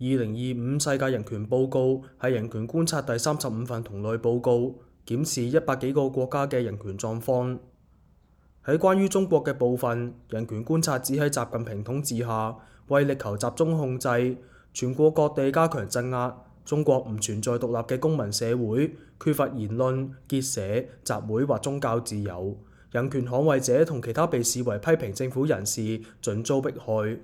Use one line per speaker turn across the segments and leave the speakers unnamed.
2025世界人權報告係人權觀察第35份同類報告，檢視100幾個國家嘅人權狀況。喺關於中國嘅部分，人權觀察只喺習近平統治下，為力求集中控制，全國各地加強鎮壓。中國唔存在獨立嘅公民社會，缺乏言論、結社、集會或宗教自由。人權捍衛者同其他被視為批評政府人士盡遭迫害。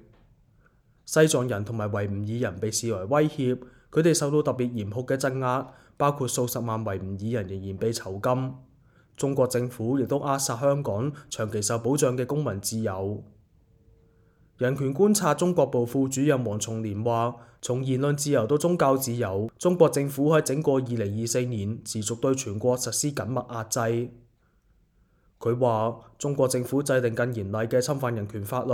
西藏人同埋維吾爾人被視為威脅，佢哋受到特別嚴酷嘅鎮壓，包括數十萬維吾爾人仍然被囚禁。中國政府亦都扼殺香港長期受保障嘅公民自由。人權觀察中國部副主任黃松年話，從言論自由到宗教自由，中國政府喺整個2024年持續對全國實施緊密壓制。佢話，中國政府制定更嚴厲嘅侵犯人權法律，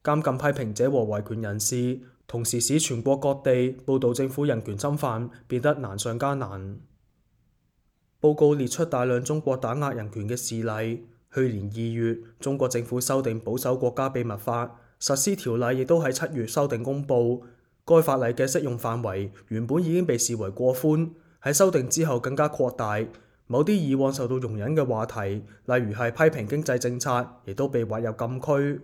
監禁批評者和維權人士，同時使全國各地報導政府人權侵犯變得難上加難。報告列出大量中國打壓人權嘅事例。去年2月，中國政府修訂保守國家秘密法，實施條例亦都喺7月修訂公佈。該法例嘅適用範圍原本已經被視為過寬，喺修訂之後更加擴大。某啲以往受到容忍嘅話題，例如係批評經濟政策，亦都被劃入禁區。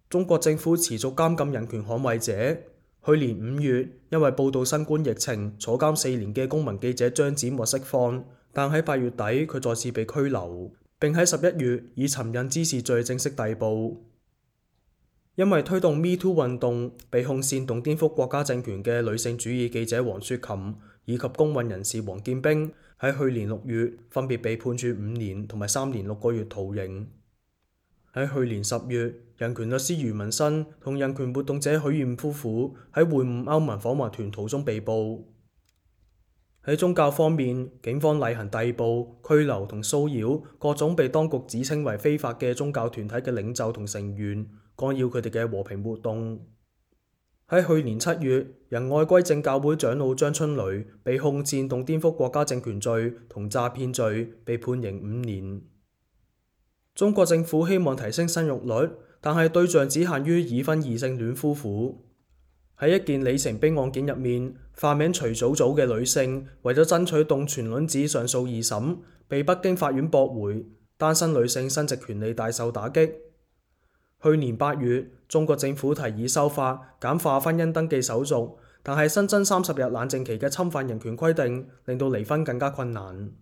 中國政府持續監禁人權捍衛者。去年5月，因為報導新冠疫情坐監4年嘅公民記者張展獲釋放，但喺8月底佢再次被拘留，並喺11月以尋釁滋事罪正式逮捕。因為推動 Me Too 運動被控煽動顛覆國家政權嘅女性主義記者黃雪琴以及公運人士王建兵，喺去年6月分別被判處5年同埋3年6個月徒刑。喺去年10月，人權律師余文新同人權活動者許艷夫婦喺會晤歐盟訪問團途中被捕。喺宗教方面，警方例行逮捕、拘留同騷擾各種被當局指稱為非法嘅宗教團體嘅領袖同成員，干擾佢哋嘅和平活動。喺去年7月，仁愛歸正教會長老張春雷被控煽動顛覆國家政權罪同詐騙罪，被判刑5年。中國政府希望提升生育率，但係對象只限於已婚異性戀夫婦。喺一件里程碑案件入面，化名徐祖祖嘅女性為咗爭取凍存卵子上訴2審，被北京法院駁回，單身女性生殖權利大受打擊。去年8月，中國政府提議修法簡化婚姻登記手續，但係新增30日冷靜期嘅侵犯人權規定，令到離婚更加困難。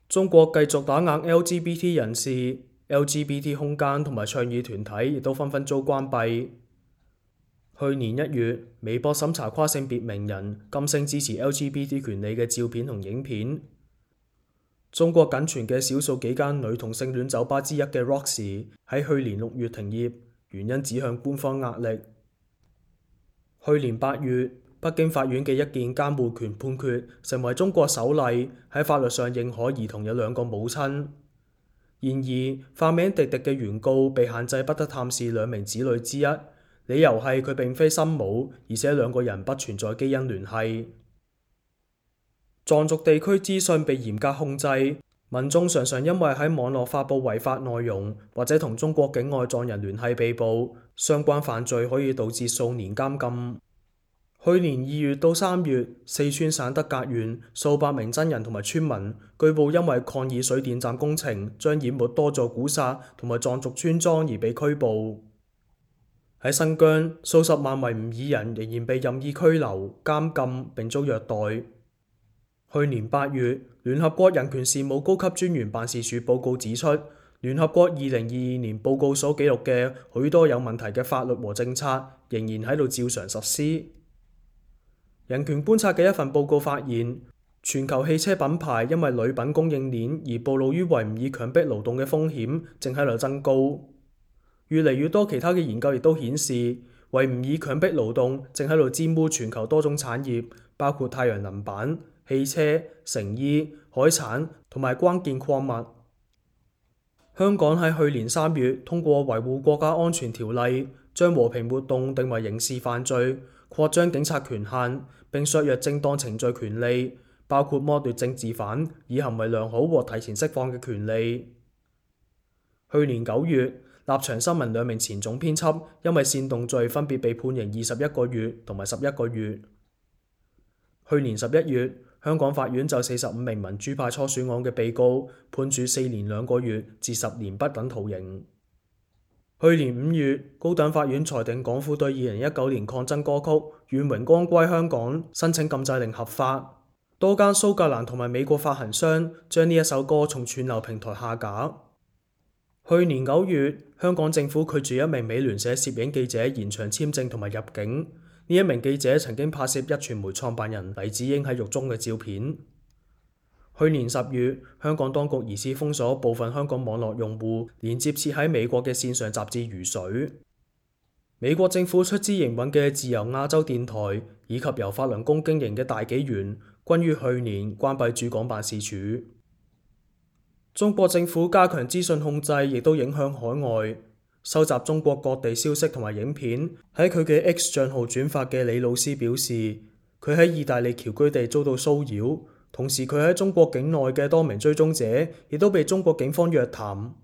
中國繼續打壓 LGBT 人士，LGBT 空間同埋倡議團體亦都紛紛遭關閉。去年1月，微博審查跨性別名人噤聲支持 LGBT 權利嘅照片同影片。中國僅存嘅少數幾間女同性戀酒吧之一嘅 Roxy 喺去年6月停業，原因指向官方壓力。去年8月，北京法院嘅一件監護權判決成為中國首例喺法律上認可兒童有2個母親。然而，化名迪迪嘅原告被限制不得探視2名子女之一，理由係佢並非生母，而且2個人不存在基因聯繫。藏族地區資訊被嚴格控制，民眾常常因為喺網絡發布違法內容或者同中國境外藏人聯繫被捕，相關犯罪可以導致數年監禁。去年2月到3月，四川省德格縣數百名僧人同埋村民據報因為抗議水電站工程將淹沒多座古剎同埋藏族村莊而被拘捕。喺新疆，數十萬維吾爾人仍然被任意拘留、監禁並遭虐待。去年8月，聯合國人權事務高級專員辦事處報告指出，聯合國2022年報告所記錄嘅許多有問題嘅法律和政策仍然喺度照常實施。人權觀察嘅一份報告發現，全球汽車品牌因為鋁品供應鏈而暴露於維吾爾強迫勞動嘅風險正喺度增高。越嚟越多其他嘅研究亦都顯示，維吾爾強迫勞動正喺度沾污全球多種產業，包括太陽能板、汽車、成衣、海產同埋關鍵礦物。香港喺去年3月通過維護國家安全條例，將和平活動定為刑事犯罪，擴張警察權限，並削弱正當程序權利，包括剝奪政治犯以行為良好獲提前釋放嘅權利。去年9月，立場新聞兩名前總編輯因為煽動罪分別被判刑21個月同埋11個月。去年11月，香港法院就45名民主派初選案嘅被告判處4年2個月至10年不等徒刑。去年5月，高等法院裁定港府對2019年抗爭歌曲《願榮光歸香港》申請禁制令合法，多間蘇格蘭同埋美國發行商將呢一首歌從串流平台下架。去年9月，香港政府拒絕一名美聯社攝影記者延長簽證同埋入境。呢一名記者曾經拍攝壹傳媒創辦人黎智英喺獄中嘅照片。去年10月，香港當局疑似封鎖部分香港網絡用戶連接設喺美國嘅線上雜誌《如水》。美國政府出資營運嘅自由亞洲電台以及由法輪功經營嘅大紀元，均於去年關閉駐港辦事處。中國政府加強資訊控制，亦都影響海外。收集中國各地消息同埋影片，喺佢嘅 X 賬號轉發嘅李老師表示，佢喺意大利僑居地遭到騷擾，同時佢喺中國境內嘅多名追蹤者亦都被中國警方約談。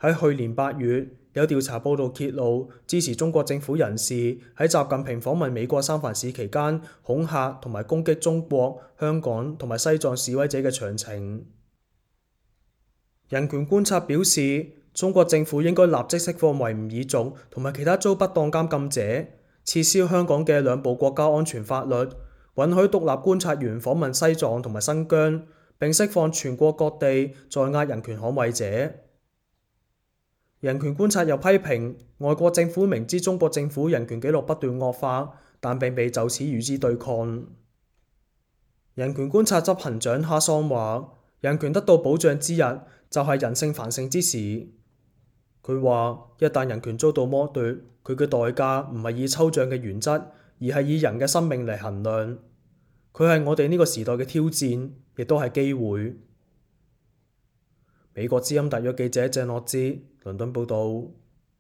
喺去年8月，有調查報道揭露，支持中國政府人士喺習近平訪問美國三藩市期間恐嚇同埋攻擊中國、香港同埋西藏示威者嘅詳情。人權觀察表示，中國政府應該立即釋放維吾爾族同埋其他遭不當監禁者，撤銷香港嘅兩部國家安全法律，允許獨立觀察員訪問西藏同埋新疆，並釋放全國各地在押人權捍衛者。人權觀察又批評，外國政府明知中國政府人權紀錄不斷惡化，但並未就此與之對抗。人權觀察執行長哈桑話，人權得到保障之日就係人性繁盛之時。佢話，一旦人權遭到剝奪，佢嘅代價唔係以抽象嘅原則，而係以人嘅生命嚟衡量。佢係我哋呢個時代嘅挑戰，亦都係機會。美國之音特約記者鄭樂之倫敦報道。